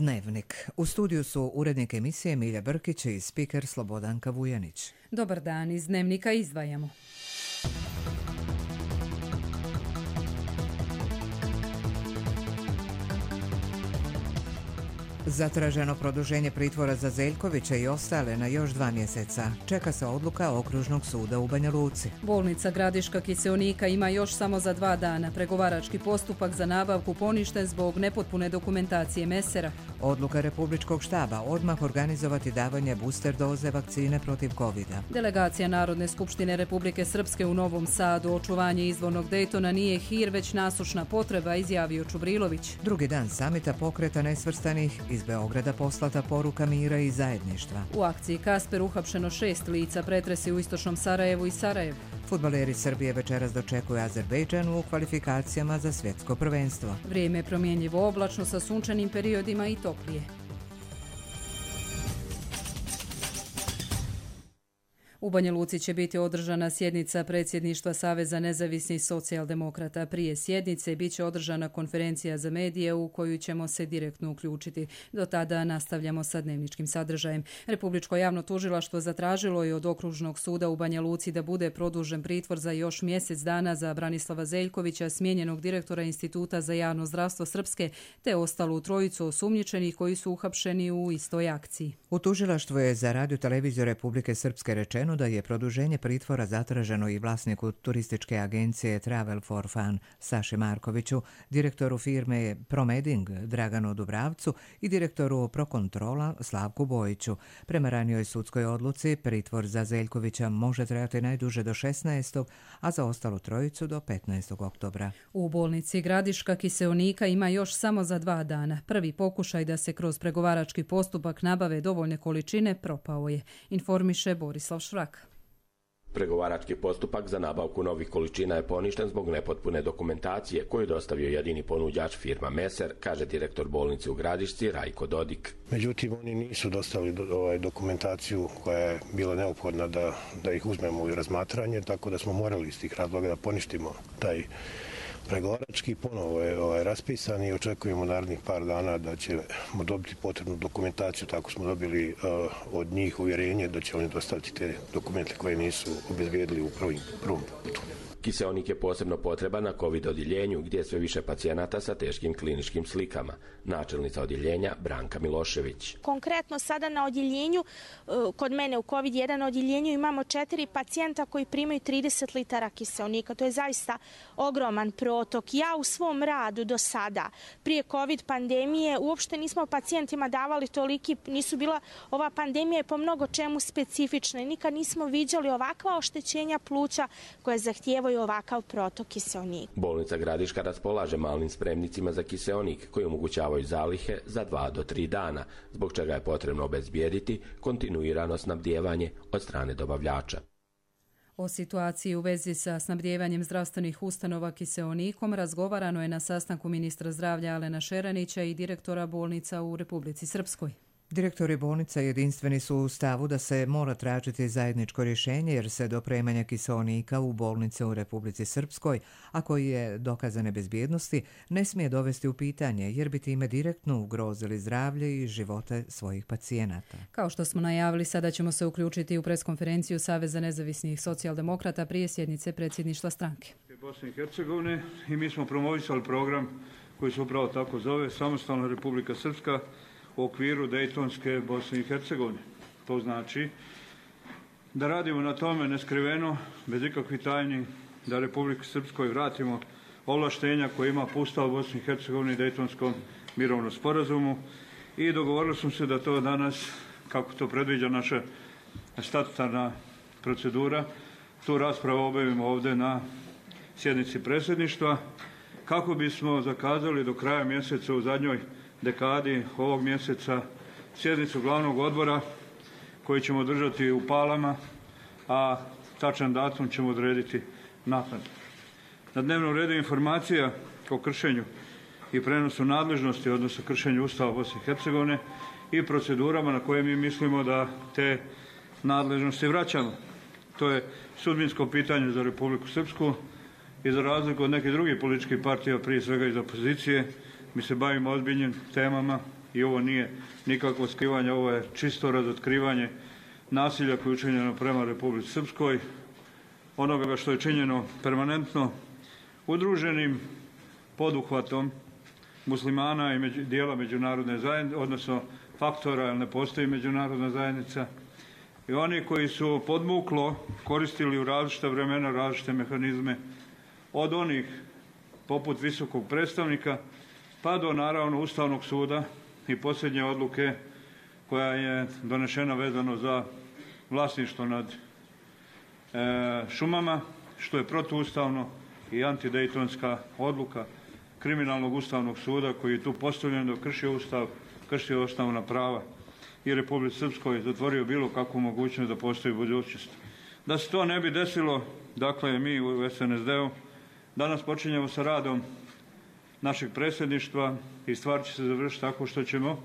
Dnevnik. U studiju su urednik emisije Milja Brkić i spiker Slobodanka Vujanić. Dobar dan, iz Dnevnika izdvajamo. Zatraženo produženje pritvora za Zeljkovića i ostale na još 2 mjeseca. Čeka se odluka Okružnog suda u Banja Luci. Bolnica Gradiška Kiseonika ima još samo za 2 dana. Pregovarački postupak za nabavku poništen zbog nepotpune dokumentacije mesera. Odluka Republičkog štaba odmah organizovati davanje booster doze vakcine protiv COVID-a. Delegacija Narodne skupštine Republike Srpske u Novom Sadu. Očuvanje izvornog Dejtona nije hir, već nasušna potreba, izjavio Čubrilović. Drugi dan samita pokreta nesvrstanih, iz Beograda poslata poruka mira i zajedništva. U akciji Kasper uhapšeno 6 lica, pretresi u istočnom Sarajevu i Sarajevu. Fudbaleri Srbije večeras dočekuju Azerbejdžan u kvalifikacijama za svjetsko prvenstvo. Vrijeme je promjenjivo, oblačno sa sunčanim periodima i toplije. U Banja Luci će biti održana sjednica predsjedništva Saveza nezavisnih socijaldemokrata. Prije sjednice bit će održana konferencija za medije u koju ćemo se direktno uključiti. Do tada nastavljamo sa dnevničkim sadržajem. Republičko javno tužilaštvo zatražilo je od Okružnog suda u Banja Luci da bude produžen pritvor za još mjesec dana za Branislava Zeljkovića, smijenjenog direktora Instituta za javno zdravstvo Srpske, te ostalu trojicu osumnjičenih koji su uhapšeni u istoj akciji. U tužilaštvu je za Radio televiziju Republike Srpske rečeno da je produženje pritvora zatraženo i vlasniku turističke agencije Travel for Fun Saši Markoviću, direktoru firme Promeding Draganu Dubravcu i direktoru Prokontrola Slavku Bojiću. Prema ranijoj sudskoj odluci, pritvor za Zeljkovića može trajati najduže do 16. a za ostalu trojicu do 15. oktobra. U bolnici Gradiška Kiseonika ima još samo za 2 dana. Prvi pokušaj da se kroz pregovarački postupak nabave dovoljne količine propao je, informiše Borislav Švrak. Pregovarački postupak za nabavku novih količina je poništen zbog nepotpune dokumentacije koju je dostavio jedini ponuđač firma Meser, kaže direktor bolnice u Gradišci Rajko Dodik. Međutim, oni nisu dostavili dokumentaciju koja je bila neophodna da ih uzmemo u razmatranje, tako da smo morali iz tih razloga da poništimo taj pregovarački. Ponovo je raspisan i očekujemo narednih par dana da ćemo dobiti potrebnu dokumentaciju. Tako smo dobili od njih uvjerenje da će oni dostaviti te dokumente koje nisu obezbijedili u prvom putu. Kiseonik je posebno potreban na COVID odjeljenju gdje je sve više pacijenata sa teškim kliničkim slikama. Načelnica odjeljenja Branka Milošević. Konkretno sada na odjeljenju, kod mene u COVID-1 odjeljenju imamo 4 pacijenta koji primaju 30 litara kiseonika. To je zaista ogroman protok. Ja u svom radu do sada, prije COVID pandemije, uopšte nismo pacijentima davali toliki, ova pandemija je po mnogo čemu specifična i nikad nismo viđali ovakva oštećenja pluća koje zahtijevaju ovakav protok kiseonika. Bolnica Gradiška raspolaže malnim spremnicima za kiseonik koji omogućavaju zalihe za 2 do 3 dana, zbog čega je potrebno obezbijediti kontinuirano snabdijevanje od strane dobavljača. O situaciji u vezi sa snabdijevanjem zdravstvenih ustanova kiseonikom razgovarano je na sastanku ministra zdravlja Alena Šeranića i direktora bolnica u Republici Srpskoj. Direktori bolnica jedinstveni su u stavu da se mora tražiti zajedničko rješenje jer se dopremanje kiseonika u bolnice u Republici Srpskoj, a koji je dokazane bezbjednosti, ne smije dovesti u pitanje jer bi time direktno ugrozili zdravlje i živote svojih pacijenata. Kao što smo najavili, sada ćemo se uključiti u preskonferenciju Saveza nezavisnih socijaldemokrata prije sjednice predsjedništva stranke. Bosne i Hercegovine i mi smo promovisali program koji se upravo tako zove Samostalna Republika Srpska u okviru Dejtonske Bosne i Hercegovine. To znači da radimo na tome neskriveno, bez ikakvih tajni, da Republike Srpskoj vratimo ovlaštenja koje ima po Ustavu Bosne i Hercegovine i Dejtonskom mirovnom sporazumu i dogovorili smo se da to danas, kako to predviđa naša statutarna procedura, tu raspravu obavimo ovdje na sjednici predsjedništva, kako bismo zakazali do kraja mjeseca u zadnjoj dekadi ovog mjeseca sjednicu glavnog odbora koji ćemo održati u Palama, a tačan datum ćemo odrediti naknadno. Na dnevnom redu informacija o kršenju i prenosu nadležnosti, odnosno kršenju Ustava Bosne i Hercegovine i procedurama na koje mi mislimo da te nadležnosti vraćamo. To je sudbinsko pitanje za Republiku Srpsku i za razliku od nekih drugih političkih partija, prije svega iz opozicije, mi se bavimo ozbiljnim temama i ovo nije nikakvo skrivanje, ovo je čisto razotkrivanje nasilja koje je učinjeno prema Republici Srpskoj, onoga što je činjeno permanentno udruženim poduhvatom muslimana i dijela međunarodne zajednice, odnosno faktora, jer ne postoji međunarodna zajednica, i oni koji su podmuklo koristili u različite vremena različite mehanizme, od onih poput visokog predstavnika pa do naravno Ustavnog suda i posljednje odluke koja je donešena vezano za vlasništvo nad šumama, što je protuustavno, i antidejtonska odluka kriminalnog Ustavnog suda koji je tu postavljen da kršio Ustav, kršio osnovna prava i Republici Srpskoj zatvorio bilo kakvu mogućnost da postoji budućnost. Da se to ne bi desilo, dakle, mi u SNSD-u danas počinjemo sa radom našeg predsjedništva i stvar će se završiti tako što ćemo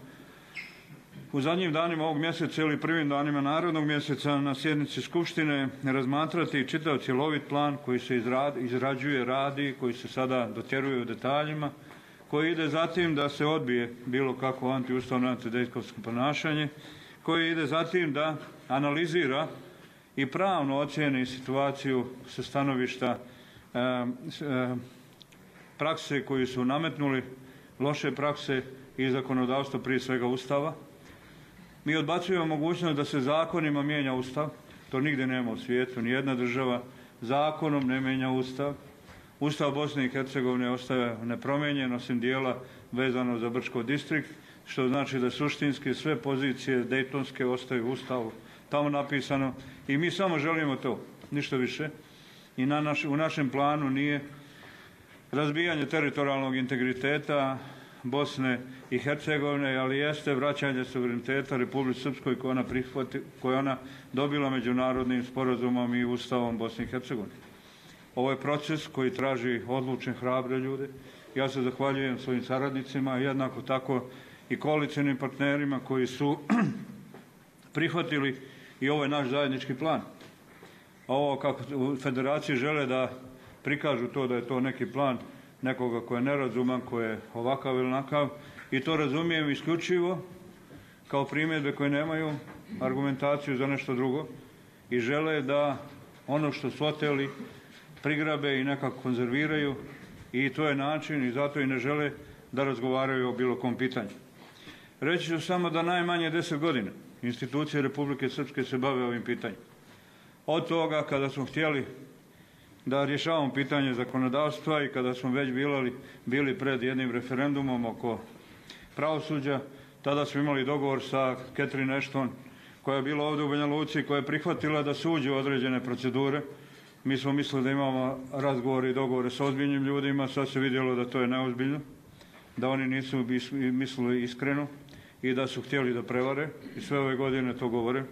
u zadnjim danima ovog mjeseca ili prvim danima narodnog mjeseca na sjednici Skupštine razmatrati čitav cjelovit plan koji se izrađuje, radi, koji se sada dotjeruje u detaljima, koji ide zatim da se odbije bilo kakvo antiustavno, antidejtonsko ponašanje, koji ide zatim da analizira i pravno ocijeni situaciju sa stanovišta prakse koju su nametnuli, loše prakse i zakonodavstvo, prije svega Ustava. Mi odbacujemo mogućnost da se zakonima mijenja Ustav, to nigdje nema u svijetu, nijedna država zakonom ne mijenja Ustav. Ustav Bosne i Hercegovine ostaje nepromijenjen, osim dijela vezano za Brčko distrikt, što znači da suštinski sve pozicije dejtonske ostaju u Ustavu tamo napisano i mi samo želimo to, ništa više. I u našem planu nije razbijanje teritorijalnog integriteta Bosne i Hercegovine, ali jeste vraćanje suvereniteta Republici Srpskoj koje ona dobila međunarodnim sporazumom i Ustavom Bosne i Hercegovine. Ovo je proces koji traži odlučne, hrabre ljude. Ja se zahvaljujem svojim saradnicima, jednako tako i koalicionim partnerima koji su prihvatili i ovaj naš zajednički plan. Ovo kako u federaciji žele da prikažu to da je to neki plan nekoga ko je nerazuman, ko je ovakav ili onakav, i to razumijem isključivo kao primjedbe koje nemaju argumentaciju za nešto drugo i žele da ono što su oteli prigrabe i nekako konzerviraju, i to je način i zato i ne žele da razgovaraju o bilo kom pitanju. Reći ću samo da najmanje 10 godina institucije Republike Srpske se bave ovim pitanjem. Od toga kada smo htjeli da rješavamo pitanje zakonodavstva i kada smo već bili pred jednim referendumom oko pravosuđa, tada smo imali dogovor sa Catherine Ashton koja je bila ovdje u Banja Luci, koja je prihvatila da se uđe u određene procedure. Mi smo mislili da imamo razgovore i dogovore sa ozbiljnim ljudima, sad se vidjelo da to je neozbiljno, da oni nisu mislili iskreno i da su htjeli da prevare i sve ove godine to govore.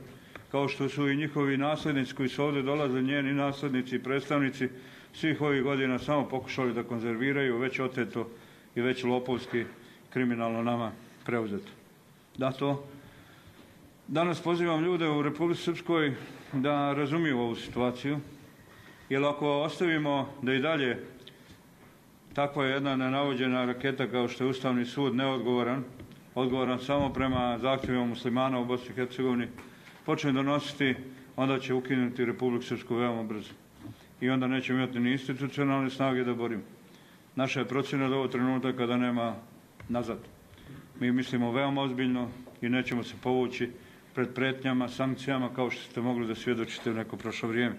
Kao što su i njihovi nasljednici koji su ovdje dolaze, njeni nasljednici i predstavnici svih ovih godina samo pokušali da konzerviraju već oteto i već lopovski kriminalno nama preuzeto. Zato danas pozivam ljude u Republici Srpskoj da razumiju ovu situaciju, jer ako ostavimo da i dalje takva jedna nenavođena raketa kao što je Ustavni sud odgovoran samo prema zahtjevima muslimana u Bosni i Hercegovini, počne donositi, onda će ukinuti Republiku Srpsku veoma brzo. I onda nećemo imati ni institucionalne snage da borimo. Naša je procjena do ovog trenutka kada nema nazad. Mi mislimo veoma ozbiljno i nećemo se povući pred pretnjama, sankcijama, kao što ste mogli da svjedočite u neko prošlo vrijeme.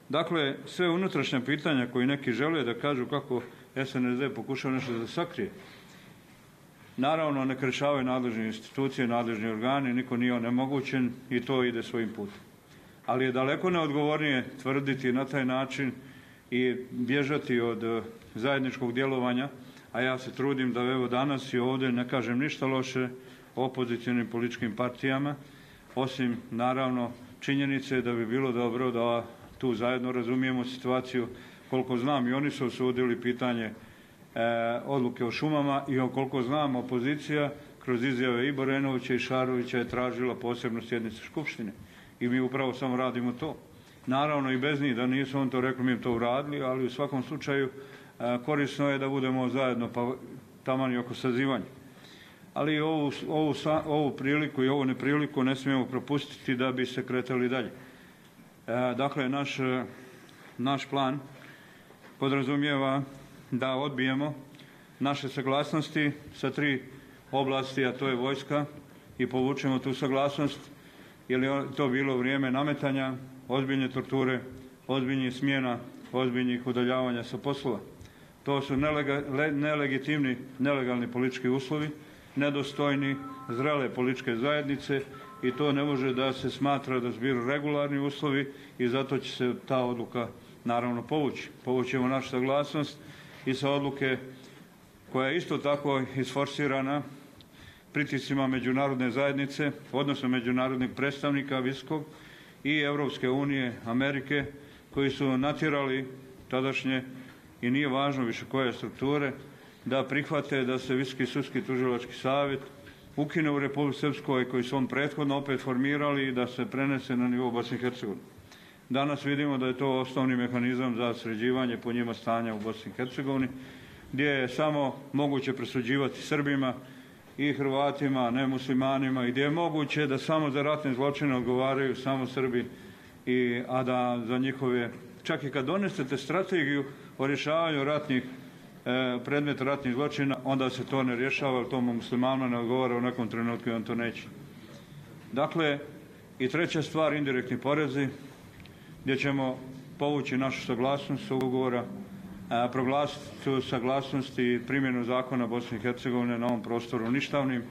Dakle, sve unutrašnja pitanja koji neki žele da kažu kako SNSD pokušava nešto da sakrije, naravno ne rješavaju nadležne institucije, nadležni organi, niko nije onemogućen i to ide svojim putem. Ali je daleko neodgovornije tvrditi na taj način i bježati od zajedničkog djelovanja, a ja se trudim da evo danas i ovdje ne kažem ništa loše o opozicionim političkim partijama, osim naravno činjenice da bi bilo dobro da tu zajedno razumijemo situaciju. Koliko znam, i oni su osudili pitanje odluke o šumama i koliko znam, opozicija kroz izjave i Borenovića i Šarovića je tražila posebnu sjednicu Skupštine. I mi upravo samo radimo to. Naravno i bez njih, da nisu on to rekli, mi to uradili, ali u svakom slučaju korisno je da budemo zajedno, pa taman i oko sazivanja. ali ovu priliku i ovu nepriliku ne smijemo propustiti da bi se kretali dalje. Dakle, naš plan podrazumijeva da odbijemo naše saglasnosti sa 3 oblasti, a to je vojska, i povučemo tu saglasnost, jer je to bilo vrijeme nametanja, ozbiljne torture, ozbiljnih smjena, ozbiljnih udaljavanja sa poslova. To su nelegitimni, nelegalni politički uslovi, nedostojni zrele političke zajednice i to ne može da se smatra da su bili regularni uslovi i zato će se ta odluka naravno povući. Povućemo našu saglasnost i sa odluke koja je isto tako isforsirana pritiscima međunarodne zajednice, odnosno međunarodnih predstavnika visokog i Europske unije, Amerike, koji su natjerali tadašnje, i nije važno više koje strukture, da prihvate da se Visoki sudski tužilački savjet ukine u Republici Srpskoj, koji su on prethodno opet formirali, i da se prenese na nivou Bosne i Hercegovine. Danas vidimo da je to osnovni mehanizam za sređivanje po njima stanja u Bosni i Hercegovini, gdje je samo moguće presuđivati Srbima i Hrvatima, ne muslimanima, i gdje je moguće da samo za ratne zločine odgovaraju samo Srbi, a da za njihove, čak i kad donesete strategiju o rješavanju predmeta ratnih zločina, onda se to ne rješava, jer tomu muslimanima ne odgovara u nekom trenutku i on to neće. Dakle, i treća stvar, indirektni porezi, gdje ćemo povući našu saglasnost ugovora, proglasiti saglasnost i primjenu zakona Bosne i Hercegovine na ovom prostoru ništavnim.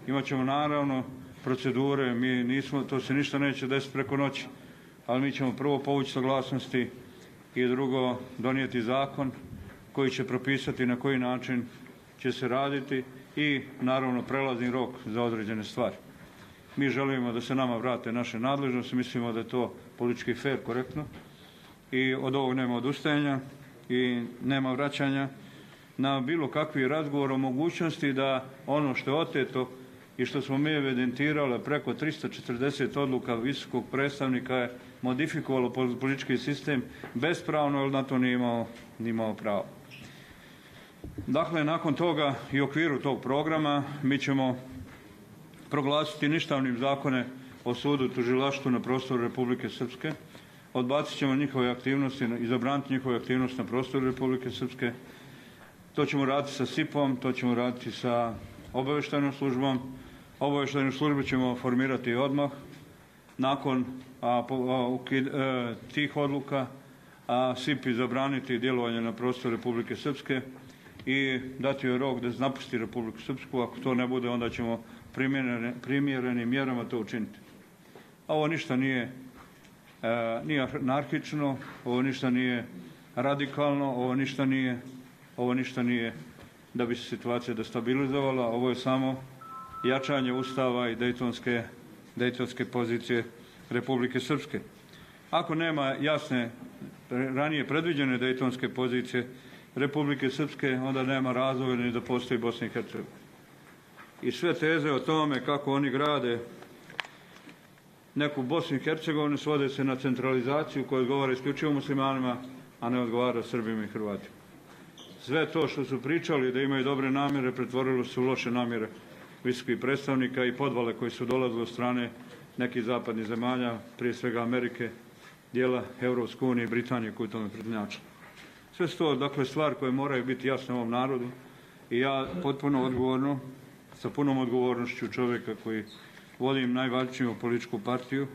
Imaćemo naravno procedure, to se ništa neće desiti preko noći, ali mi ćemo prvo povući saglasnosti i drugo donijeti zakon koji će propisati na koji način će se raditi i naravno prelazni rok za određene stvari. Mi želimo da se nama vrate naše nadležnosti, mislimo da je to politički fair, korektno, i od ovog nema odustajanja i nema vraćanja na bilo kakvi razgovor o mogućnosti da ono što je oteto i što smo mi evidentirali preko 340 odluka visokog predstavnika je modifikovalo politički sistem bespravno, jer na to nije imao pravo. Dakle, nakon toga i u okviru tog programa mi ćemo proglasiti ništavnim zakone o sudu i tužilaštvu na prostoru Republike Srpske, odbacit ćemo njihove aktivnosti i zabraniti njihove aktivnosti na prostoru Republike Srpske. To ćemo raditi sa SIP-om, to ćemo raditi sa obavještajnom službom. Obavještajnu službu ćemo formirati odmah nakon tih odluka, a SIP-i zabraniti djelovanje na prostoru Republike Srpske i dati joj rok da napusti Republiku Srpsku. Ako to ne bude, onda ćemo primjerenim mjerama to učiniti. Ovo ništa nije anarhično, ovo ništa nije radikalno, ovo ništa nije da bi se situacija destabilizovala, ovo je samo jačanje Ustava i dejtonske pozicije Republike Srpske. Ako nema jasne, ranije predviđene dejtonske pozicije Republike Srpske, onda nema razloga ni da postoji Bosna i Hercegovina. I sve teze o tome kako oni grade neku Bosnu i Hercegovinu svode se na centralizaciju koja odgovara isključivo muslimanima, a ne odgovara Srbima i Hrvatima. Sve to što su pričali da imaju dobre namjere pretvorilo se u loše namjere visokih predstavnika i podvale koji su dolazili od strane nekih zapadnih zemalja, prije svega Amerike, dijela Europske unije i Britanije koji tome prednjačili. Sve su to, dakle, stvari koje moraju biti jasne ovom narodu i ja potpuno odgovorno, sa punom odgovornošću čovjeka koji vodim najvažniju političku partiju,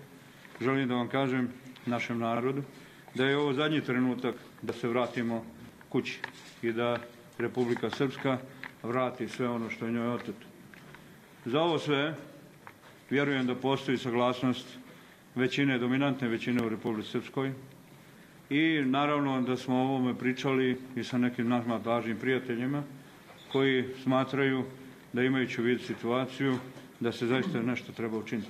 želim da vam kažem, našem narodu, da je ovo zadnji trenutak da se vratimo kući i da Republika Srpska vrati sve ono što je njoj oteto. Za ovo sve vjerujem da postoji saglasnost većine, dominantne većine u Republici Srpskoj i naravno da smo o ovome pričali i sa nekim nama važnim prijateljima koji smatraju da imajući u vidu situaciju da se zaista nešto treba učiniti.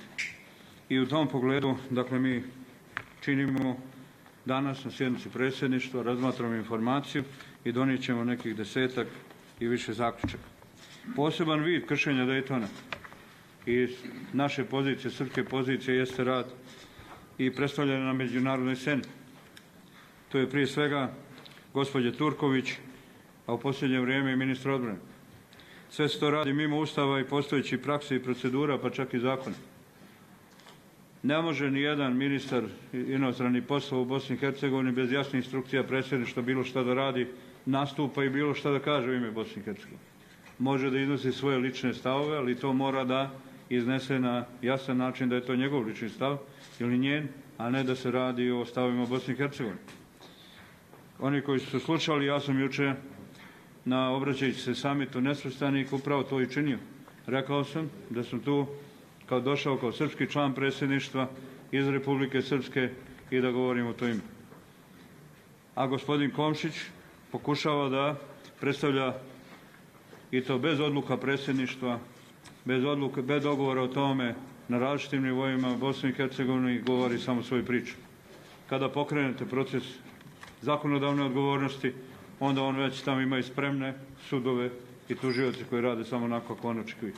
I u tom pogledu, dakle, mi činimo danas na sjednici predsjedništva, razmatramo informaciju i donijet ćemo nekih 10-ak i više zaključaka. Poseban vid kršenja Dejtona i naše pozicije, srpske pozicije, jeste rad i predstavljanje na međunarodnoj sceni. To je prije svega gospođe Turković, a u posljednje vrijeme i ministra odbrane. Sve se to radi mimo Ustava i postojećih praksi i procedura, pa čak i zakona. Ne može ni jedan ministar inostranih poslova u Bosni i Hercegovini bez jasnih instrukcija predsjedništva bilo šta da radi, nastupa i bilo šta da kaže u ime Bosne i Hercegovine. Može da iznosi svoje lične stavove, ali to mora da iznese na jasan način da je to njegov lični stav ili njen, a ne da se radi o stavovima Bosne i Hercegovine. Oni koji su slušali, ja sam juče na obraćajući se samitu nesvrstanih upravo to i činio. Rekao sam da sam tu došao kao srpski član predsjedništva iz Republike Srpske i da govorim o to ime. A gospodin Komšić pokušava da predstavlja i to bez odluka predsjedništva, bez dogovora o tome na različitim nivoima Bosne i Hercegovine govori samo svoju priču. Kada pokrenete proces zakonodavne odgovornosti, onda on već tamo ima i spremne sudove i tužioci koji rade samo onako kako on očekuje.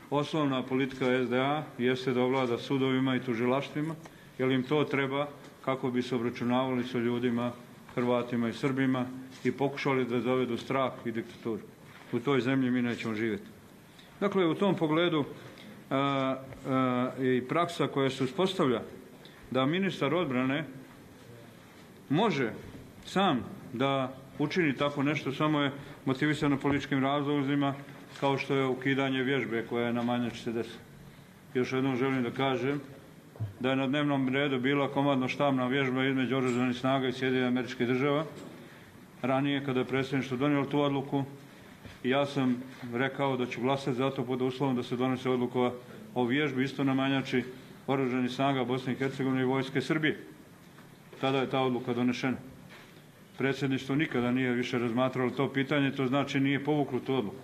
Osnovna politika SDA jeste da ovlada sudovima i tužilaštvima, jer im to treba kako bi se obračunavali sa ljudima, Hrvatima i Srbima i pokušali da dovedu strah i diktaturu. U toj zemlji mi nećemo živjeti. Dakle, u tom pogledu i praksa koja se uspostavlja da ministar odbrane može sam da učini tako nešto, samo je motivisano političkim razlozima, kao što je ukidanje vježbe koja je na Manjači se desi. Još jednom želim da kažem da je na dnevnom redu bila komandno-štabna vježba između oružanih snaga i Sjedinjenih Američkih Država. Ranije, kada je predsjedništvo donijelo tu odluku, ja sam rekao da ću glasati za to pod uslovom da se donese odluka o vježbi isto na Manjači oružanih snaga Bosne i Hercegovine i Vojske Srbije. Tada je ta odluka donešena. Predsjedništvo nikada nije više razmatralo to pitanje, to znači nije povuklo tu odluku.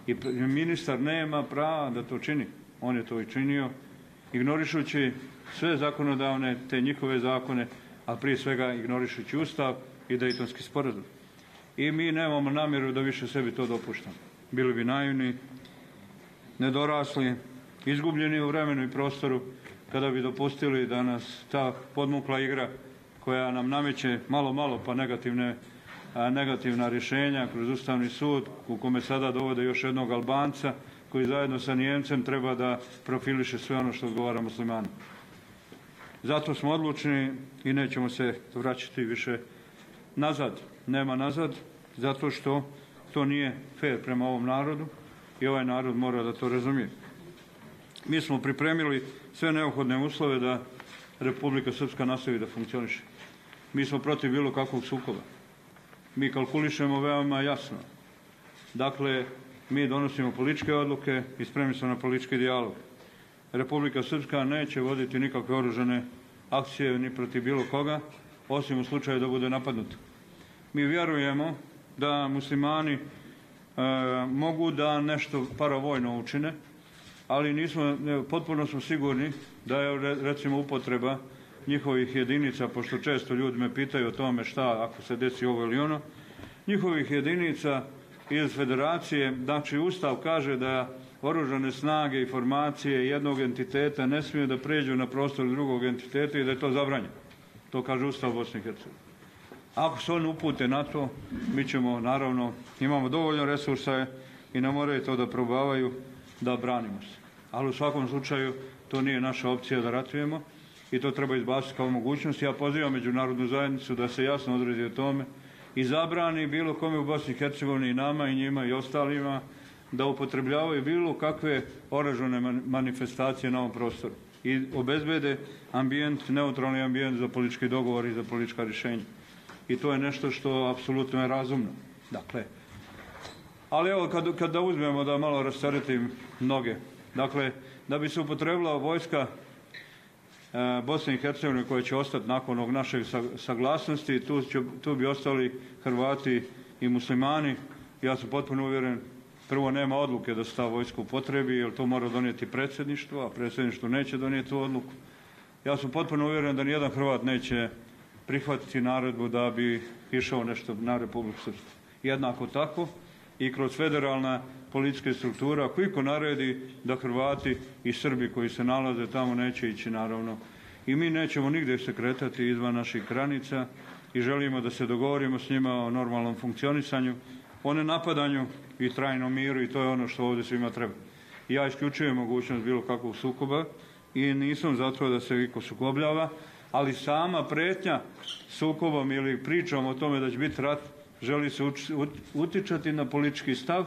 I ministar nema prava da to čini. On je to i činio, ignorišući sve zakonodavne, te njihove zakone, a prije svega ignorišući Ustav i Dejtonski sporazum. I mi nemamo namjeru da više sebi to dopuštamo. Bili bi naivni, nedorasli, izgubljeni u vremenu i prostoru, kada bi dopustili da nas ta podmukla igra koja nam nameće malo pa negativna rješenja kroz Ustavni sud, u kome sada dovode još jednog Albanca koji zajedno sa Nijemcem treba da profiliše sve ono što odgovara muslimanu. Zato smo odlučni i nećemo se vraćati više nazad. Nema nazad, zato što to nije fair prema ovom narodu i ovaj narod mora da to razumije. Mi smo pripremili sve neophodne uslove da Republika Srpska nastavi da funkcioniše. Mi smo protiv bilo kakvog sukoba. Mi kalkulišemo veoma jasno. Dakle, mi donosimo političke odluke i spremni smo na politički dijalog. Republika Srpska neće voditi nikakve oružane akcije ni protiv bilo koga, osim u slučaju da bude napadnuta. Mi vjerujemo da muslimani mogu da nešto paravojno učine, ali potpuno smo sigurni da je recimo upotreba njihovih jedinica, pošto često ljudi me pitaju o tome šta ako se desi ovo ili ono, njihovih jedinica iz federacije, znači Ustav kaže da oružane snage i formacije jednog entiteta ne smiju da pređu na prostor drugog entiteta i da je to zabranjeno. To kaže Ustav Bosne i Hercegovine. Ako se oni upute na to, mi ćemo, naravno, imamo dovoljno resursa i ne moraju to da probavaju da branimo se. Ali u svakom slučaju to nije naša opcija da ratujemo i to treba izbaciti kao mogućnost. Ja pozivam međunarodnu zajednicu da se jasno odredi o tome i zabrani bilo kome u Bosni i Hercegovini i nama i njima i ostalima da upotrebljavaju bilo kakve oružane manifestacije na ovom prostoru i obezbede ambijent, neutralni ambijent za politički dogovor i za politička rješenja. I to je nešto što apsolutno je razumno. Dakle, ali evo kada uzmemo da malo rasteretim noge, dakle, da bi se upotrebila vojska Bosne i Hercegovine koja će ostati nakon ovog našeg saglasnosti, tu bi ostali Hrvati i muslimani. Ja sam potpuno uvjeren, prvo nema odluke da se ta vojska upotrebi, jer to mora donijeti predsjedništvo, a predsjedništvo neće donijeti tu odluku. Ja sam potpuno uvjeren da nijedan Hrvat neće prihvatiti naredbu da bi išao nešto na Republiku Srpsku. Jednako tako i kroz federalna politička struktura, ako iko naredi da Hrvati i Srbi koji se nalaze tamo neće ići, naravno. I mi nećemo nigdje se kretati izvan naših granica i želimo da se dogovorimo s njima o normalnom funkcionisanju, o nenapadanju i trajnom miru i to je ono što ovdje svima treba. Ja isključujem mogućnost bilo kakvog sukoba i nisam za to da se iko sukobljava, ali sama pretnja sukobom ili pričom o tome da će biti rat, želi se utičati na politički stav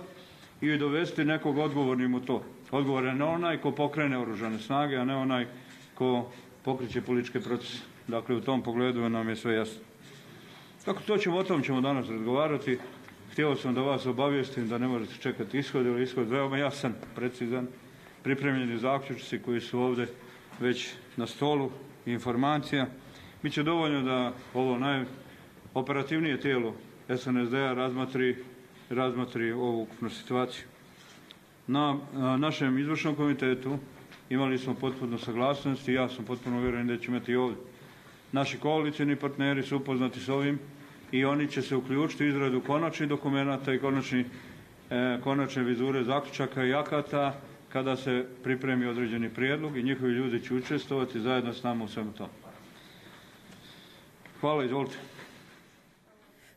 i dovesti nekog odgovornim u to. Odgovoran je onaj ko pokrene oružane snage, a ne onaj ko pokreće političke procese. Dakle, u tom pogledu nam je sve jasno. Tako o tom ćemo danas razgovarati. Htio sam da vas obavijestim da ne možete čekati ishod, ili ishod veoma jasan, precizan, pripremljeni zaključci koji su ovdje već na stolu, informacija. Biće dovoljno da ovo najoperativnije tijelo SNSD-a razmatri ovu ukupnu situaciju. Na našem izvršnom komitetu imali smo potpuno saglasnost i ja sam potpuno uvjeren da ćemo imati i ovdje. Naši koalicijni partneri su upoznati s ovim i oni će se uključiti u izradu konačnih dokumenata i konačne vizure zaključaka i akata kada se pripremi određeni prijedlog i njihovi ljudi će učestvovati zajedno s nama u svemu tomu. Hvala, izvolite.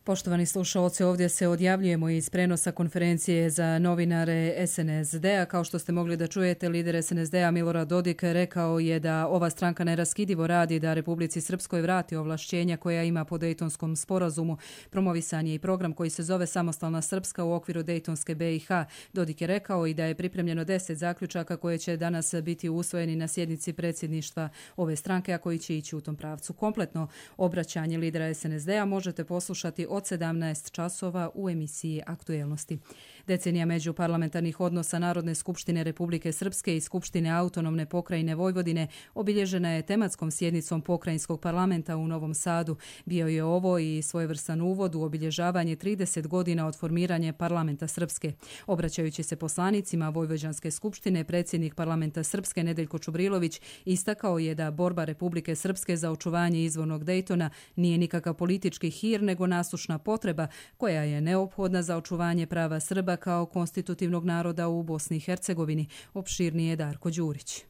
Poštovani slušalci, ovdje se odjavljujemo iz prenosa konferencije za novinare SNSD-a. Kao što ste mogli da čujete, lider SNSD-a Milorad Dodik rekao je da ova stranka neraskidivo radi da Republici Srpskoj vrati ovlašćenja koja ima po Dejtonskom sporazumu. Promovisan je i program koji se zove Samostalna Srpska u okviru Dejtonske BiH. Dodik je rekao i da je pripremljeno 10 zaključaka koje će danas biti usvojeni na sjednici predsjedništva ove stranke, a koji će ići u tom pravcu. Kompletno obraćanje lidera SNSD-a možete poslušati od 17 časova u emisiji Aktuelnosti. Decenija međuparlamentarnih odnosa Narodne skupštine Republike Srpske i Skupštine autonomne pokrajine Vojvodine obilježena je tematskom sjednicom pokrajinskog parlamenta u Novom Sadu. Bio je ovo i svojevrstan uvod u obilježavanje 30 godina od formiranja parlamenta Srpske. Obraćajući se poslanicima Vojvođanske skupštine, predsjednik parlamenta Srpske Nedeljko Čubrilović istakao je da borba Republike Srpske za očuvanje izvornog Dejtona nije nikakav politički hir, nego nasušna potreba koja je neophodna za očuvanje prava Srba kao konstitutivnog naroda u Bosni i Hercegovini. Opširnije Darko Đurić.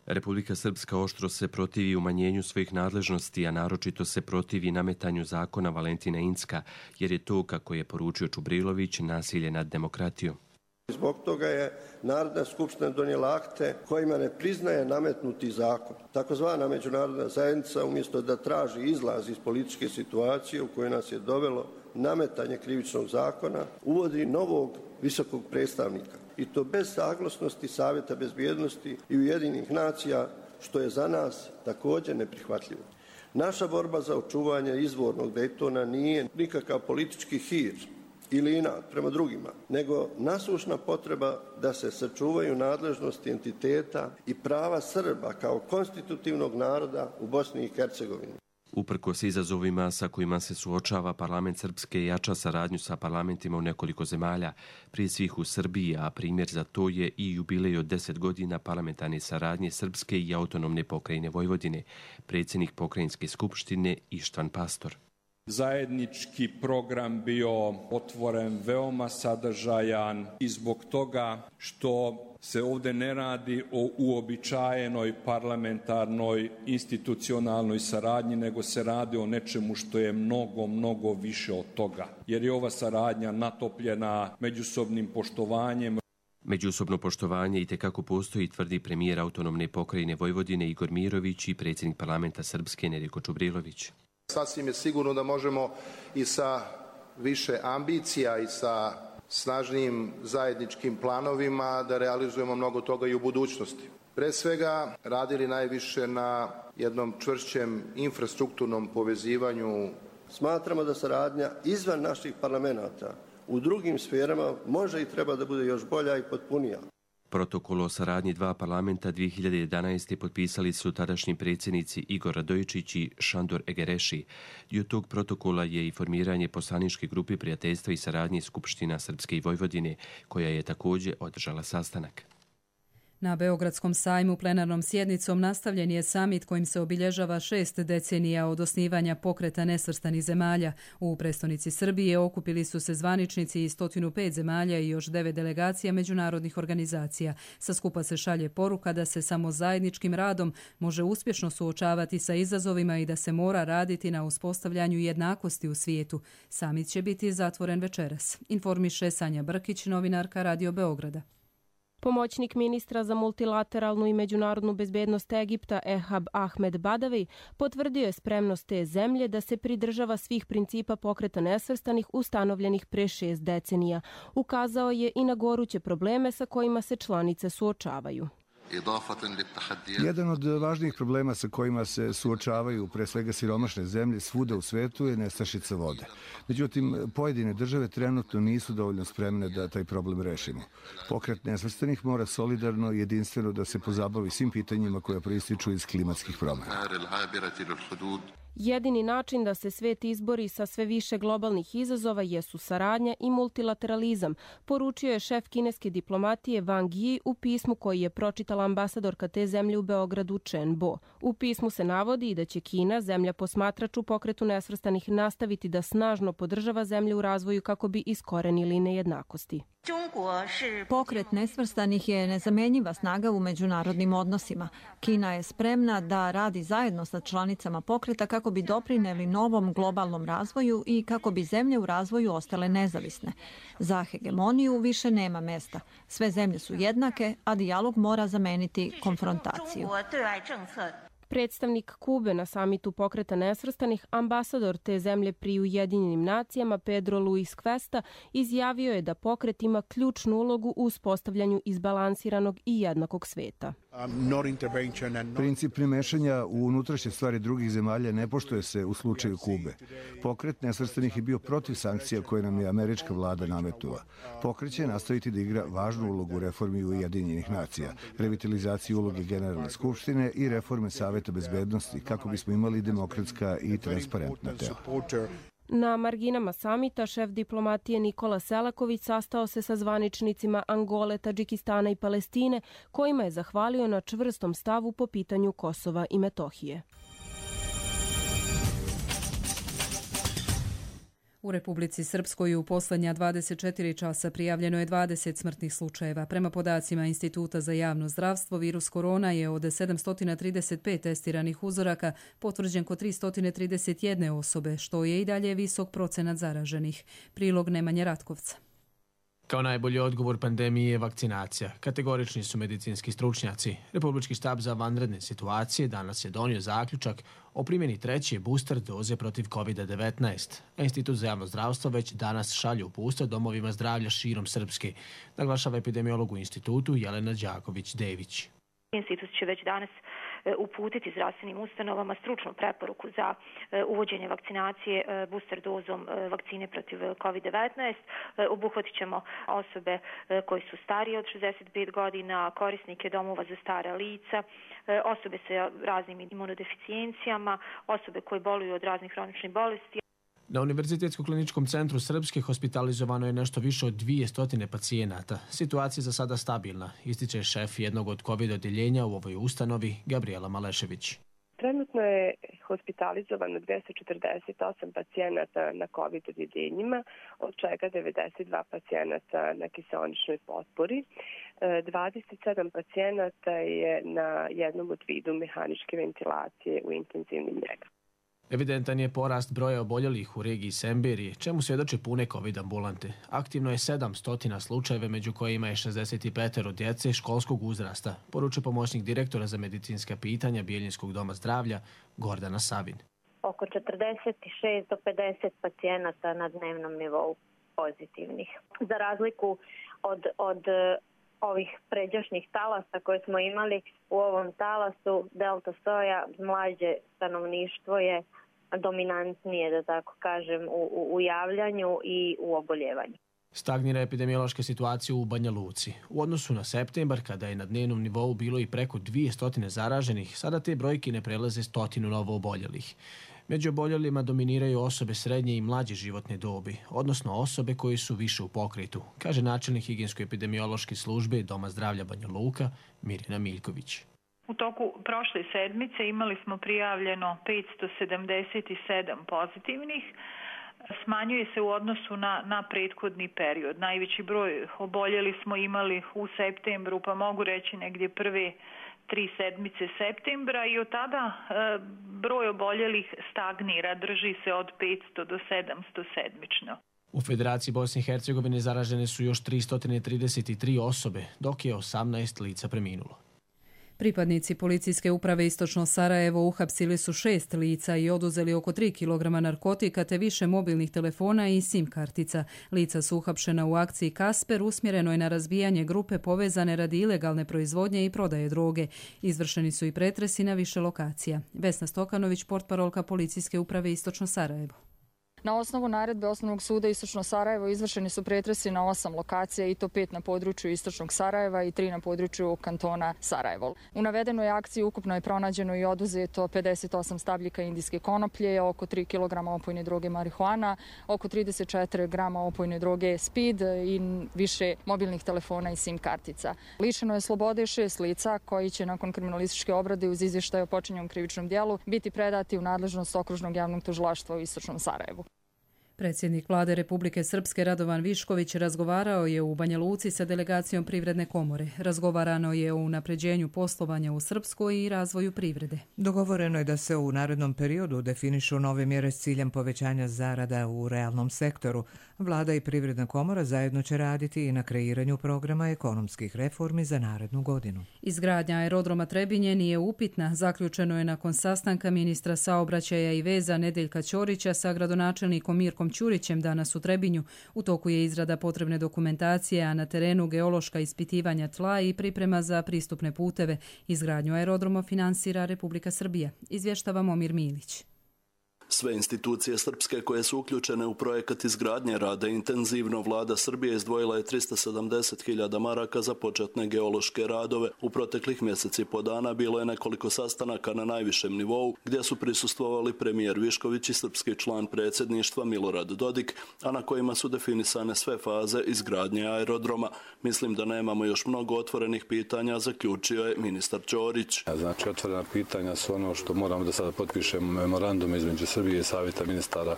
Republika Srpska oštro se protivi umanjenju svojih nadležnosti, a naročito se protivi nametanju zakona Valentina Incka, jer je to, kako je poručio Čubrilović, nasilje nad demokratijom. Zbog toga je Narodna skupština donijela akte kojima ne priznaje nametnuti zakon. Takozvana međunarodna zajednica, umjesto da traži izlaz iz političke situacije u kojoj nas je dovelo nametanje krivičnog zakona, uvodi novog visokog predstavnika. I to bez saglasnosti Savjeta bezbjednosti i Ujedinjenih nacija, što je za nas također neprihvatljivo. Naša borba za očuvanje izvornog Dejtona nije nikakav politički hir ili inat prema drugima, nego nasušna potreba da se sačuvaju nadležnosti entiteta i prava Srba kao konstitutivnog naroda u Bosni i Hercegovini. Uprkos izazovima sa kojima se suočava parlament Srpske jača saradnju sa parlamentima u nekoliko zemalja, prije svih u Srbiji, a primjer za to je i jubilej od 10 godina parlamentarne saradnje Srpske i autonomne pokrajine Vojvodine, predsjednik pokrajinske skupštine Ištvan Pastor. Zajednički program bio otvoren, veoma sadržajan i zbog toga što se ovdje ne radi o uobičajenoj parlamentarnoj institucionalnoj saradnji, nego se radi o nečemu što je mnogo, mnogo više od toga. Jer je ova saradnja natopljena međusobnim poštovanjem. Međusobno poštovanje itekako postoji, tvrdi premijer autonomne pokrajine Vojvodine Igor Mirović i predsjednik parlamenta Srpske Nedeljko Čubrilović. Sasvim je sigurno da možemo i sa više ambicija i sa snažnijim zajedničkim planovima da realizujemo mnogo toga i u budućnosti. Pre svega radili najviše na jednom čvršćem infrastrukturnom povezivanju. Smatramo da saradnja izvan naših parlamenta u drugim sferama može i treba da bude još bolja i potpunija. Protokol o saradnji dva parlamenta 2011. potpisali su tadašnji predsjednici Igor Radojičić i Šandor Egereši. Dio tog protokola je i formiranje poslaničke grupe prijateljstva i saradnje Skupština Srpske i Vojvodine, koja je također održala sastanak. Na Beogradskom sajmu plenarnom sjednicom nastavljen je samit kojim se obilježava 6 decenija od osnivanja pokreta nesvrstanih zemalja. U prestonici Srbije okupili su se zvaničnici iz 105 zemalja i još 9 delegacija međunarodnih organizacija. Sa skupa se šalje poruka da se samo zajedničkim radom može uspješno suočavati sa izazovima i da se mora raditi na uspostavljanju jednakosti u svijetu. Samit će biti zatvoren večeras, informiše Sanja Brkić, novinarka Radio Beograda. Pomoćnik ministra za multilateralnu i međunarodnu bezbednost Egipta Ehab Ahmed Badavi potvrdio je spremnost te zemlje da se pridržava svih principa pokreta nesvrstanih ustanovljenih pre 6 decenija. Ukazao je i na goruće probleme sa kojima se članice suočavaju. Jedan od važnijih problema sa kojima se suočavaju pre svega siromašne zemlje svuda u svetu je nestašica vode. Međutim, pojedine države trenutno nisu dovoljno spremne da taj problem rešimo. Pokret nesvrstanih mora solidarno i jedinstveno da se pozabavi svim pitanjima koja proističu iz klimatskih promjena. Jedini način da se svet izbori sa sve više globalnih izazova jesu saradnja i multilateralizam, poručio je šef kineske diplomatije Wang Yi u pismu koji je pročitala ambasadorka te zemlje u Beogradu Chen Bo. U pismu se navodi i da će Kina, zemlja posmatrač u pokretu nesvrstanih, nastaviti da snažno podržava zemlje u razvoju kako bi iskorenili nejednakosti. Pokret nesvrstanih je nezamenjiva snaga u međunarodnim odnosima. Kina je spremna da radi zajedno sa članicama pokreta kako bi doprineli novom globalnom razvoju i kako bi zemlje u razvoju ostale nezavisne. Za hegemoniju više nema mesta. Sve zemlje su jednake, a dijalog mora zameniti konfrontaciju. Predstavnik Kube na samitu pokreta nesvrstanih, ambasador te zemlje pri Ujedinjenim nacijama Pedro Luis Cuesta, izjavio je da pokret ima ključnu ulogu u uspostavljanju izbalansiranog i jednakog sveta. Princip nemešanja u unutrašnje stvari drugih zemalja ne poštuje se u slučaju Kube. Pokret nesvrstanih je bio protiv sankcija koje nam je američka vlada nametnula. Pokret će nastaviti da igra važnu ulogu u reformi Ujedinjenih nacija, revitalizaciji uloge Generalne skupštine i reforme Saveta bezbednosti kako bismo imali demokratska i transparentna tela. Na marginama samita šef diplomatije Nikola Selaković sastao se sa zvaničnicima Angole, Tadžikistana i Palestine, kojima je zahvalio na čvrstom stavu po pitanju Kosova i Metohije. U Republici Srpskoj u posljednja 24 časa prijavljeno je 20 smrtnih slučajeva. Prema podacima Instituta za javno zdravstvo, virus korona je od 735 testiranih uzoraka potvrđen kod 331 osobe, što je i dalje visok procenat zaraženih. Prilog Nemanje Ratkovca. Kao najbolji odgovor pandemiji je vakcinacija. Kategorični su medicinski stručnjaci. Republički štab za vanredne situacije danas je donio zaključak o primjeni treće booster doze protiv COVID-19. Institut za javno zdravstvo već danas šalje uputstva domovima zdravlja širom Srpske, naglašava epidemiolog u institutu Jelena Đaković-Dević. Institut će već danas uputiti zdravstvenim ustanovama stručnu preporuku za uvođenje vakcinacije booster dozom vakcine protiv COVID-19. Obuhvatit ćemo osobe koji su starije od 65 godina, korisnike domova za stara lica, osobe sa raznim imunodeficijencijama, osobe koje boluju od raznih hroničnih bolesti. Na Univerzitetskom kliničkom centru Srpske hospitalizovano je nešto više od 200 pacijenata. Situacija za sada stabilna, ističe šef jednog od COVID odjeljenja u ovoj ustanovi, Gabriela Malešević. Trenutno je hospitalizovano 248 pacijenata na COVID odjeljenjima, od čega 92 pacijenata na kiseoničnoj potpori. 27 pacijenata je na jednom od vidu mehaničke ventilacije u intenzivnim njegama. Evidentan je porast broja oboljelih u regiji Semberije, čemu svjedoče pune COVID ambulante. Aktivno je 700 slučajeve, među kojima je 65 djece školskog uzrasta, poručuje pomoćnik direktora za medicinska pitanja Bijeljinskog doma zdravlja Gordana Savin. Oko 46 do 50 pacijenata na dnevnom nivou pozitivnih. Za razliku od ovih pređašnjih talasa koje smo imali, u ovom talasu delta soja mlađe stanovništvo je dominantnije, da tako kažem, u javljanju i u oboljevanju. Stagnira epidemiološka situacija u Banja Luci. U odnosu na septembar, kada je na dnevnom nivou bilo i preko 200 zaraženih, sada te brojke ne prelaze 100 novo oboljelih. Među oboljelima dominiraju osobe srednje i mlađe životne dobi, odnosno osobe koji su više u pokretu, kaže načelnik higijensko-epidemiološke službe Doma zdravlja Banja Luka, Mirjana Miljković. U toku prošle sedmice imali smo prijavljeno 577 pozitivnih. Smanjuje se u odnosu na prethodni period. Najveći broj oboljeli smo imali u septembru, pa mogu reći negdje prve 3 sedmice septembra i od tada broj oboljelih stagnira, drži se od 500 do 700 sedmično. U Federaciji Bosne i Hercegovine zaražene su još 333 osobe, dok je 18 lica preminulo. Pripadnici policijske uprave Istočno Sarajevo uhapsili su 6 lica i oduzeli oko 3 kg narkotika te više mobilnih telefona i SIM kartica. Lica su uhapšena u akciji Kasper, usmjerenoj na razbijanje grupe povezane radi ilegalne proizvodnje i prodaje droge. Izvršeni su i pretresi na više lokacija. Vesna Stokanović, portparolka policijske uprave Istočno Sarajevo. Na osnovu naredbe Osnovnog suda Istočno Sarajevo izvršeni su pretresi na 8 lokacija i to 5 na području Istočnog Sarajeva i 3 na području kantona Sarajevo. U navedenoj akciji ukupno je pronađeno i oduzeto 58 stabljika indijske konoplje, oko 3 kg opojne droge marihuana, oko 34 grama opojne droge speed i više mobilnih telefona i SIM kartica. Lišeno je slobode 6 lica koji će nakon kriminalističke obrade uz izvještaj o počinjenom krivičnom dijelu biti predati u nadležnost Okružnog javnog tužilaštva u Istočnom Sarajevu. Predsjednik Vlade Republike Srpske Radovan Višković razgovarao je u Banja Luci sa delegacijom Privredne komore. Razgovarano je o unapređenju poslovanja u Srpskoj i razvoju privrede. Dogovoreno je da se u narednom periodu definišu nove mjere s ciljem povećanja zarada u realnom sektoru. Vlada i Privredna komora zajedno će raditi i na kreiranju programa ekonomskih reformi za narednu godinu. Izgradnja aerodroma Trebinje nije upitna. Zaključeno je nakon sastanka ministra saobraćaja i veza Nedeljka Ćorića sa gradonačelnikom Mirkom Ćurićem danas u Trebinju. U toku je izrada potrebne dokumentacije, a na terenu geološka ispitivanja tla i priprema za pristupne puteve. Izgradnju aerodroma finansira Republika Srbija. Izvještava Momir Milić. Sve institucije srpske koje su uključene u projekat izgradnje rade intenzivno. Vlada Srbije izdvojila je 370.000 maraka za početne geološke radove. U proteklih mjeseci po dana bilo je nekoliko sastanaka na najvišem nivou gdje su prisustvovali premijer Višković i srpski član predsjedništva Milorad Dodik, a na kojima su definisane sve faze izgradnje aerodroma. Mislim da nemamo još mnogo otvorenih pitanja, zaključio je ministar Ćorić. Znači, otvorena pitanja su ono što moramo da sada potpišemo memorandum između Srbije i Savjeta ministara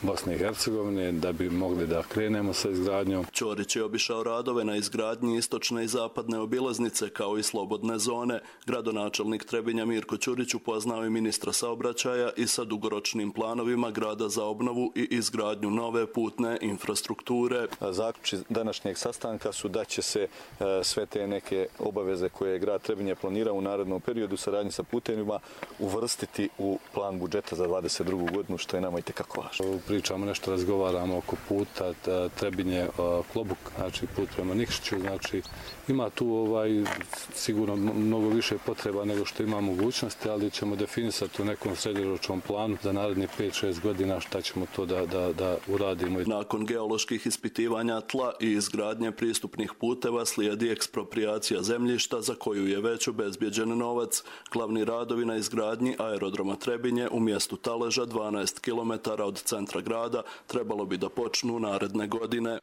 Bosne i Hercegovine da bi mogli da krenemo sa izgradnjom. Ćorić je obišao radove na izgradnji istočne i zapadne obilaznice kao i slobodne zone. Gradonačelnik Trebinja Mirko Ćurić upoznao je ministra saobraćaja i sa dugoročnim planovima grada za obnovu i izgradnju nove putne infrastrukture. Zaključci današnjeg sastanka su da će se sve te neke obaveze koje je grad Trebinje planirao u narednom periodu saradnji sa putevima uvrstiti u plan budžeta za 2022. godinu, što je nama i tekako važno. Pričamo nešto, razgovaramo oko puta Trebinje Klobuk, znači put prema Nikšiću, znači ima tu sigurno mnogo više potreba nego što ima mogućnosti, ali ćemo definisati u nekom srednjoročnom planu za narednih 5-6 godina šta ćemo to da uradimo. Nakon geoloških ispitivanja tla i izgradnje pristupnih puteva slijedi ekspropriacija zemljišta za koju je već obezbjeđen novac. Glavni radovi na izgradnji aerodroma Trebinje u mjestu Taleža 12 km od centra grada trebalo bi da počnu naredne godine.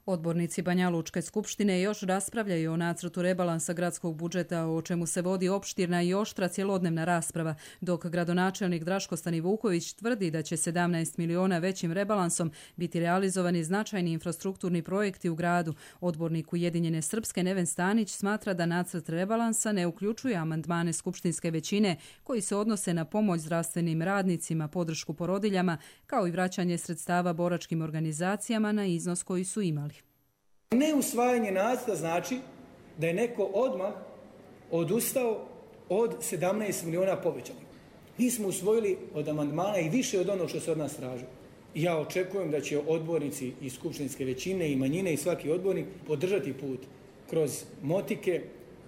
Odbornici Banja Lučke skupštine još raspravljaju o nacrtu rebalansa gradskog budžeta, o čemu se vodi opštirna i oštra cjelodnevna rasprava, dok gradonačelnik Draško Stanivuković tvrdi da će 17 miliona većim rebalansom biti realizovani značajni infrastrukturni projekti u gradu. Odbornik Ujedinjene Srpske Neven Stanić smatra da nacrt rebalansa ne uključuje amandmane skupštinske većine koji se odnose na pomoć zdravstvenim radnicima, podršku porodiljama, kao i vraćanje sredstava boračkim organizacijama na iznos koji su imali. Neusvajanje nacrta znači da je neko odmah odustao od 17 miliona povećanih. Mi smo usvojili od amandmana i više od onog što se od nas traži. Ja očekujem da će odbornici iz skupštinske većine i manjine i svaki odbornik podržati put kroz Motike,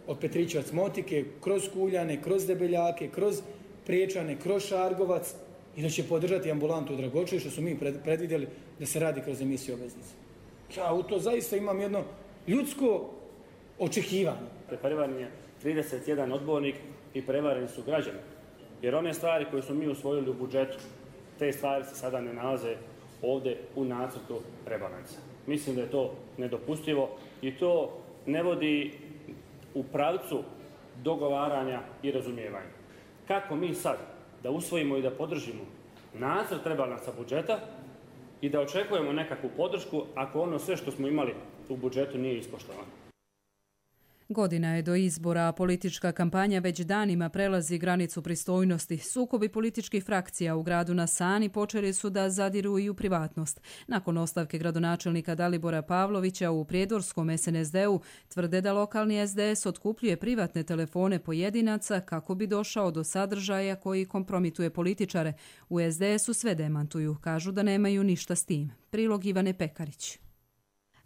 od Petrićevac Motike, kroz Kuljane, kroz Debeljake, kroz Priječane, kroz Šargovac i da će podržati ambulantu u Dragočeju što su mi predvidjeli da se radi kroz emisiju obveznice. Ja u to zaista imam jedno ljudsko očekivanje. Prevaren je 31 odbornik i prevareni su građani. Jer one stvari koje smo mi usvojili u budžetu, te stvari se sada ne nalaze ovde u nacrtu rebalansa. Mislim da je to nedopustivo i to ne vodi u pravcu dogovaranja i razumijevanja. Kako mi sad da usvojimo i da podržimo nacrt rebalansa budžeta i da očekujemo nekakvu podršku ako ono sve što smo imali u budžetu nije ispoštovano? Godina je do izbora, a politička kampanja već danima prelazi granicu pristojnosti. Sukobi političkih frakcija u gradu na Sani počeli su da zadiru i u privatnost. Nakon ostavke gradonačelnika Dalibora Pavlovića u prijedorskom SNSD-u tvrde da lokalni SDS otkupljuje privatne telefone pojedinaca kako bi došao do sadržaja koji kompromituje političare. U SDS-u sve demantuju, kažu da nemaju ništa s tim. Prilog Ivane Pekarić.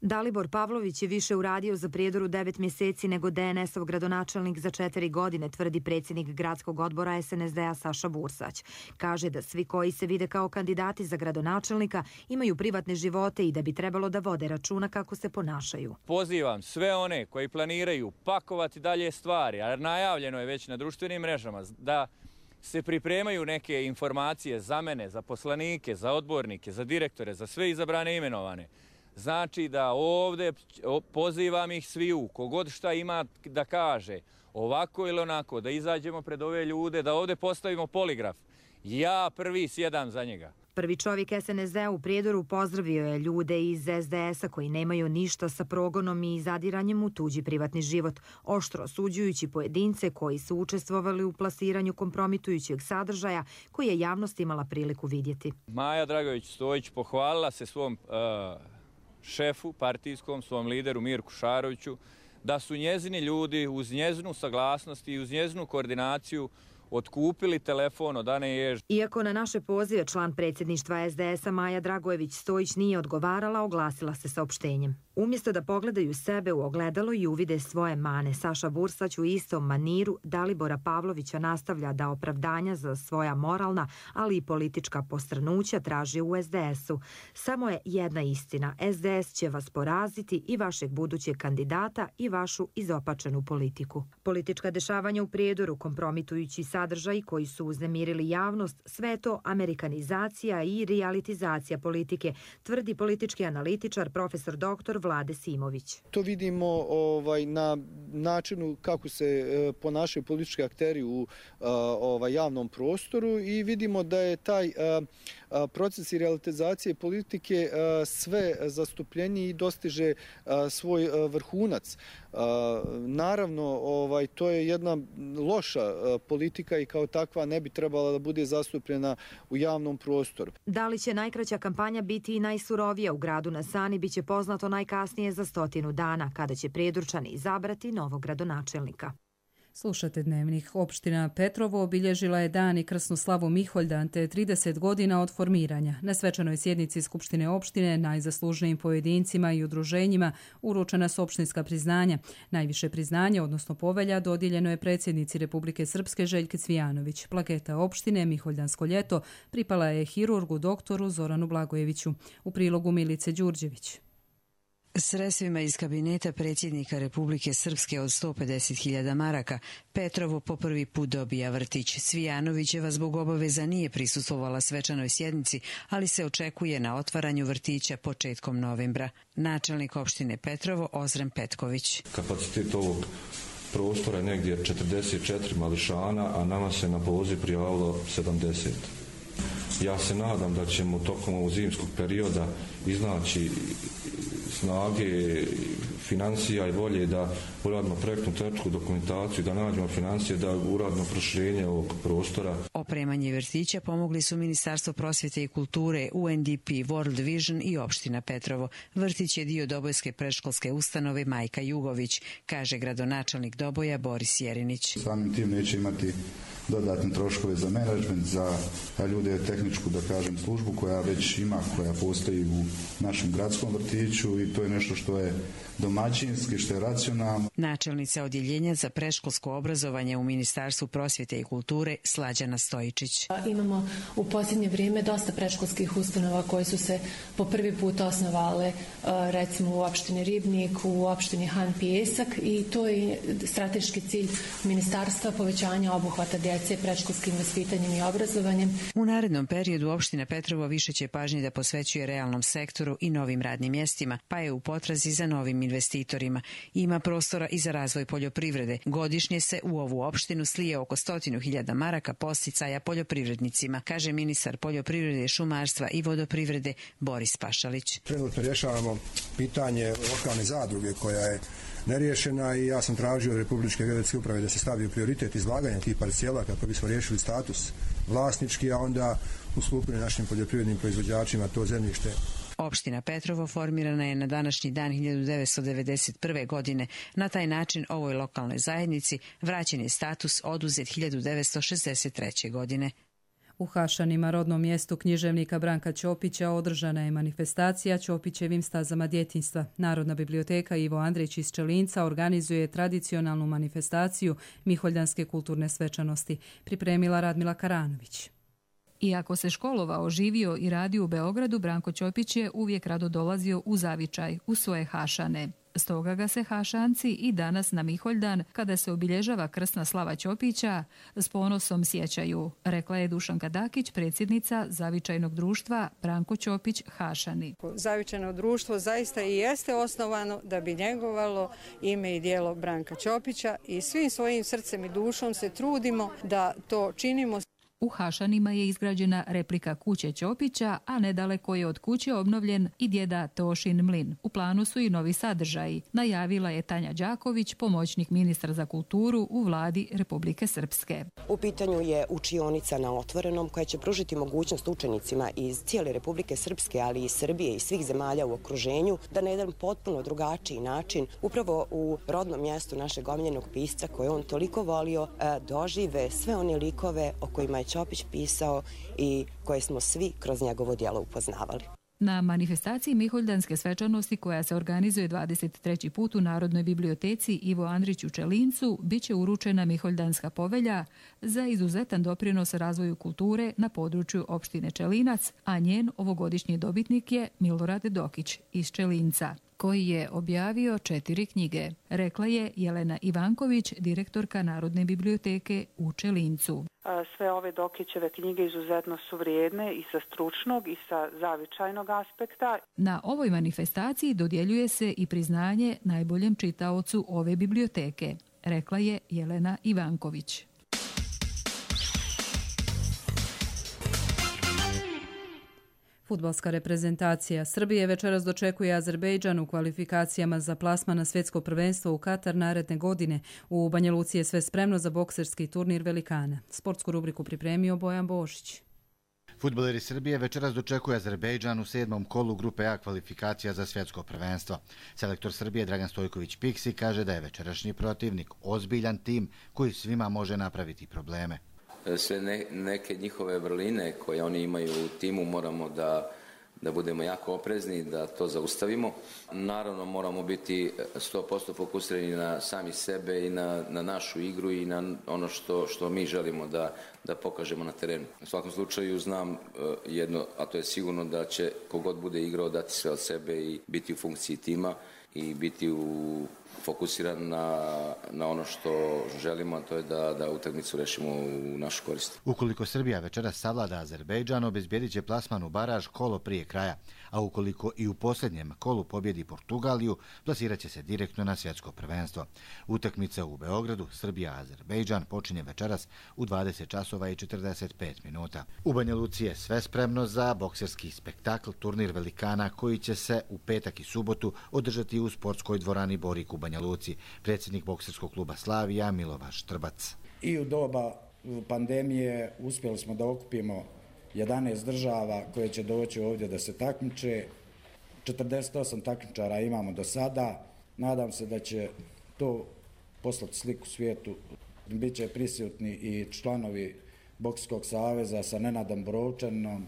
Dalibor Pavlović je više uradio za Prijedoru 9 mjeseci nego DNS-ov gradonačelnik za 4 godine, tvrdi predsjednik gradskog odbora SNSD-a Saša Bursać. Kaže da svi koji se vide kao kandidati za gradonačelnika imaju privatne živote i da bi trebalo da vode računa kako se ponašaju. Pozivam sve one koji planiraju pakovati dalje stvari, a najavljeno je već na društvenim mrežama, da se pripremaju neke informacije za mene, za poslanike, za odbornike, za direktore, za sve izabrane i imenovane. Znači da ovdje pozivam ih sviju, kogod šta ima da kaže, ovako ili onako, da izađemo pred ove ljude, da ovdje postavimo poligraf. Ja prvi sjedam za njega. Prvi čovjek SNSD u Prijedoru pozdravio je ljude iz SDS-a koji nemaju ništa sa progonom i zadiranjem u tuđi privatni život, oštro osuđujući pojedince koji su učestvovali u plasiranju kompromitujućeg sadržaja koji je javnost imala priliku vidjeti. Maja Dragović-Stojić pohvalila se svom šefu partijskom, svom lideru Mirku Šaroviću, da su njezini ljudi uz njezinu saglasnost i uz njezinu koordinaciju otkupili telefon od Ane Jež. Iako na naše pozive član predsjedništva SDS-a Maja Dragojević-Stojić nije odgovarala, oglasila se saopštenjem. Umjesto da pogledaju sebe u ogledalo i uvide svoje mane, Saša Bursać u istom maniru Dalibora Pavlovića nastavlja da opravdanja za svoja moralna, ali i politička postranuća traži u SDS-u. Samo je jedna istina. SDS će vas poraziti i vašeg budućeg kandidata i vašu izopačenu politiku. Politička dešavanja u Prijedoru, kompromitujući sadržaj koji su uznemirili javnost, sve to amerikanizacija i realitizacija politike, tvrdi politički analitičar profesor dr. Vlade Simović. To vidimo na načinu kako se ponašaju politički akteri u javnom prostoru i vidimo da je taj proces i realitizacije politike sve zastupljeniji i dostiže svoj vrhunac. Naravno, to je jedna loša politika i kao takva ne bi trebala da bude zastupljena u javnom prostoru. Da li će najkraća kampanja biti i najsurovija u gradu na Sani, biće poznato najkasnije za 100 dana, kada će Prijedorčani izabrati novog gradonačelnika. Slušate Dnevnik. Opština Petrovo obilježila je dan i krsnu slavu Miholjdan te 30 godina od formiranja. Na svečanoj sjednici Skupštine opštine najzaslužnijim pojedincima i udruženjima uručena su opštinska priznanja. Najviše priznanje, odnosno povelja, dodijeljeno je predsjednici Republike Srpske Željke Cvijanović. Plaketa opštine Miholjdansko ljeto pripala je hirurgu doktoru Zoranu Blagojeviću. U prilogu Milice Đurđević. Sredstvima iz kabineta predsjednika Republike Srpske od 150.000 maraka Petrovo po prvi put dobija vrtić. Cvijanovićeva zbog obaveza nije prisustvovala svečanoj sjednici, ali se očekuje na otvaranju vrtića početkom novembra. Načelnik opštine Petrovo Ozren Petković. Kapacitet ovog prostora je negdje 44 mališana, a nama se na poziv prijavilo 70. Ja se nadam da ćemo tokom ovog zimskog perioda iznaći snage, financija i volje da uradimo projektnu tehničku dokumentaciju, da nađemo financije, da uradimo proširenje ovog prostora. Opremanje vrtića pomogli su Ministarstvo prosvjete i kulture, UNDP, World Vision i opština Petrovo. Vrtić je dio Dobojske predškolske ustanove Majka Jugović, kaže gradonačelnik Doboja Boris Jerinić. Samim tim neće imati dodatne troškove za menadžment, za ljude tehničku, da kažem, službu koja već ima, koja postoji u našem gradskom vrtiću i i to je nešto što je domaćinski, što je racionalno. Načelnica odjeljenja za predškolsko obrazovanje u Ministarstvu prosvjete i kulture Slađana Stojičić. Imamo u posljednje vrijeme dosta predškolskih ustanova koje su se po prvi put osnovale, recimo u opštini Ribnik, u opštini Han Pijesak, i to je strateški cilj ministarstva, povećanja obuhvata djece predškolskim vaspitanjem i obrazovanjem. U narednom periodu opština Petrovo više će pažnje da posvećuje realnom sektoru i novim radnim mjestima, pa je u potrazi za novim investitorima. Ima prostora i za razvoj poljoprivrede. Godišnje se u ovu opštinu slije oko 100.000 maraka podsticaja poljoprivrednicima, kaže ministar poljoprivrede, šumarstva i vodoprivrede Boris Pašalić. Trenutno rješavamo pitanje lokalne zadruge koja je neriješena i ja sam tražio od Republičke geodetske uprave da se stavi u prioritet izlaganja tih parcela kako bismo riješili status vlasnički, a onda ustupili našim poljoprivrednim proizvođačima to zemljište. Opština Petrovo formirana je na današnji dan 1991. godine. Na taj način ovoj lokalnoj zajednici vraćen je status oduzet 1963. godine. U Hašanima, rodnom mjestu književnika Branka Ćopića, održana je manifestacija Ćopićevim stazama djetinjstva. Narodna biblioteka Ivo Andrić iz Čelinca organizuje tradicionalnu manifestaciju Miholjdanske kulturne svečanosti. Pripremila Radmila Karanović. Iako se školovao, živio i radio u Beogradu, Branko Ćopić je uvijek rado dolazio u Zavičaj, u svoje Hašane. Stoga ga se Hašanci i danas na Miholjdan, kada se obilježava krsna slava Ćopića, s ponosom sjećaju, rekla je Dušanka Dakić, predsjednica Zavičajnog društva Branko Ćopić Hašani. Zavičajno društvo zaista i jeste osnovano da bi njegovalo ime i djelo Branka Ćopića i svim svojim srcem i dušom se trudimo da to činimo. U Hašanima je izgrađena replika kuće Ćopića, a nedaleko je od kuće obnovljen i djeda Tošin mlin. U planu su i novi sadržaji, najavila je Tanja Đaković, pomoćnik ministra za kulturu u vladi Republike Srpske. U pitanju je učionica na otvorenom koja će pružiti mogućnost učenicima iz cijele Republike Srpske, ali i Srbije i svih zemalja u okruženju, da na jedan potpuno drugačiji način, upravo u rodnom mjestu našeg omiljenog pisca koje on toliko volio, dožive sve one likove o kojima je Ćopić pisao i koje smo svi kroz njegovo djelo upoznavali. Na manifestaciji Miholjdanske svečanosti koja se organizuje 23. put u Narodnoj biblioteci Ivo Andrić u Čelincu biće uručena Miholjdanska povelja za izuzetan doprinos razvoju kulture na području opštine Čelinac, a njen ovogodišnji dobitnik je Milorad Dokić iz Čelinca, koji je objavio 4 knjige, rekla je Jelena Ivanković, direktorka Narodne biblioteke u Čelincu. Sve ove Dokićeve knjige izuzetno su vrijedne i sa stručnog i sa zavičajnog aspekta. Na ovoj manifestaciji dodjeljuje se i priznanje najboljem čitaocu ove biblioteke, rekla je Jelena Ivanković. Fudbalska reprezentacija Srbije večeras dočekuje Azerbejdžan u kvalifikacijama za plasman na svjetsko prvenstvo u Katar naredne godine. U Banja Luci je sve spremno za bokserski turnir velikana. Sportsku rubriku pripremio Bojan Bošić. Fudbaleri Srbije večeras dočekuje Azerbejdžan u 7. kolu grupe A kvalifikacija za svjetsko prvenstvo. Selektor Srbije Dragan Stojković-Piksi kaže da je večerašnji protivnik ozbiljan tim koji svima može napraviti probleme. Sve neke njihove vrline koje oni imaju u timu moramo da budemo jako oprezni, da to zaustavimo. Naravno moramo biti 100% fokusirani na sami sebe i na našu igru i na ono što mi želimo da pokažemo na terenu. U svakom slučaju znam jedno, a to je sigurno da će kogod bude igrao dati sve od sebe i biti u funkciji tima i biti fokusiran na ono što želimo, a to je da utakmicu rešimo u našu korist. Ukoliko Srbija večeras savlada Azerbejdžan, obezbijedit će plasman u baraž kolo prije kraja, a ukoliko i u posljednjem kolu pobjedi Portugaliju, plasirat će se direktno na svjetsko prvenstvo. Utakmica u Beogradu, Srbija-Azerbejdžan, počinje večeras u 20 časova i 45 minuta. U Banja Luci je sve spremno za bokserski spektakl, turnir velikana koji će se u petak i subotu održati u sportskoj dvorani Borik u Banja Luci. Predsjednik bokserskog kluba Slavija Milovaš Trbac. I u doba pandemije uspjeli smo da okupimo 11 država koje će doći ovdje da se takmiče. 48 takmičara imamo do sada. Nadam se da će to poslati sliku svijetu. Biće prisutni i članovi Bokserskog saveza sa Nenadom Borovčanom.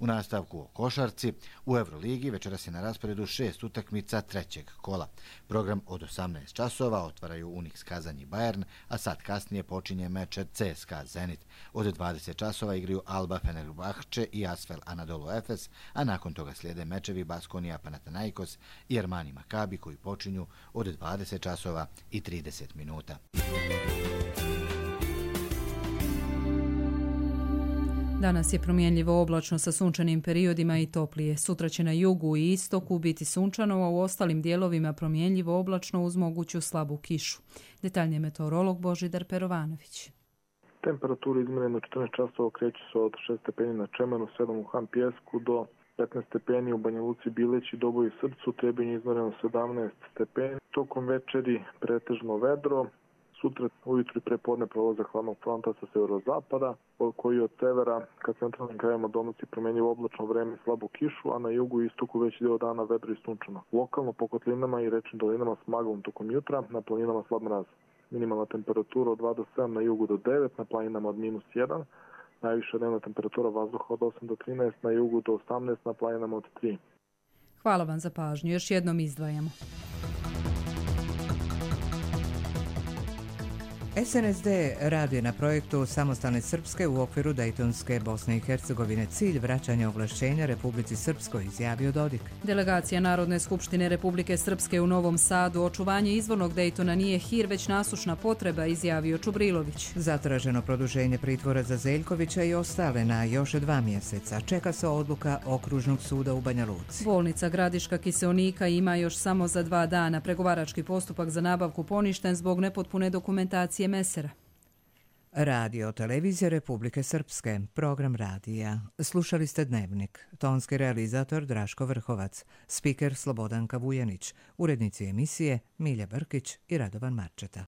U nastavku o košarci, u Euroligi večeras je na rasporedu 6 utakmica trećeg kola. Program od 18 časova otvaraju Unix Kazan i Bayern, a sad kasnije počinje meč CSKA Zenit. Od 20 časova igraju Alba Fenerbahče i Asvel Anadolu Efes, a nakon toga slijede mečevi Baskonija Panathinaikos i Armani Makabi koji počinju od 20 časova i 30 minuta. Danas je promjenljivo oblačno sa sunčanim periodima i toplije. Sutra će na jugu i istoku biti sunčano, a u ostalim dijelovima promjenljivo oblačno uz moguću slabu kišu. Detaljnije meteorolog Božidar Perovanović. Temperatura izmjerena u 14 časova kreće se od 6 stepeni na Čemenu, 7 u Han Pijesku do 15 stepeni u Banja Luci, Bileći, Doboju i Srcu, Trebinju izmjereno 17 stepeni. Tokom večeri pretežno vedro. Sutra ujutru i prepodne prolazak hladnog fronta sa severozapada, koji od severa ka centralnim krajevima donosi promjenjivo oblačno vreme i slabu kišu, a na jugu i istoku veći dio dana vedro i sunčano. Lokalno po kotlinama i rečnim dolinama s maglom tokom jutra, na planinama slab mraz. Minimalna temperatura od 2 do 7, na jugu do 9, na planinama od -1. Najviša dnevna temperatura vazduha od 8 do 13, na jugu do 18, na planinama od 3. Hvala vam za pažnju. Još jednom izdvajamo. SNSD radi na projektu Samostalne Srpske u okviru Dejtonske Bosne i Hercegovine. Cilj vraćanja ovlašćenja Republici Srpskoj, izjavio Dodik. Delegacija Narodne skupštine Republike Srpske u Novom Sadu, očuvanje izvornog Dejtona nije hir, već nasušna potreba, izjavio Čubrilović. Zatraženo produženje pritvora za Zeljkovića i ostale na još 2 mjeseca. Čeka se odluka Okružnog suda u Banja Luci. Bolnica Gradiška kiseonika ima još samo za 2 dana. Pregovarački postupak za nabavku poništen zbog nepotpune dokumentacije Mesera. Radio Televizija Republike Srpske, program radija. Slušali ste Dnevnik. Tonski realizator Draško Vrhovac, spiker Slobodanka Vujanić, urednici emisije Milja Brkić i Radovan Marčeta.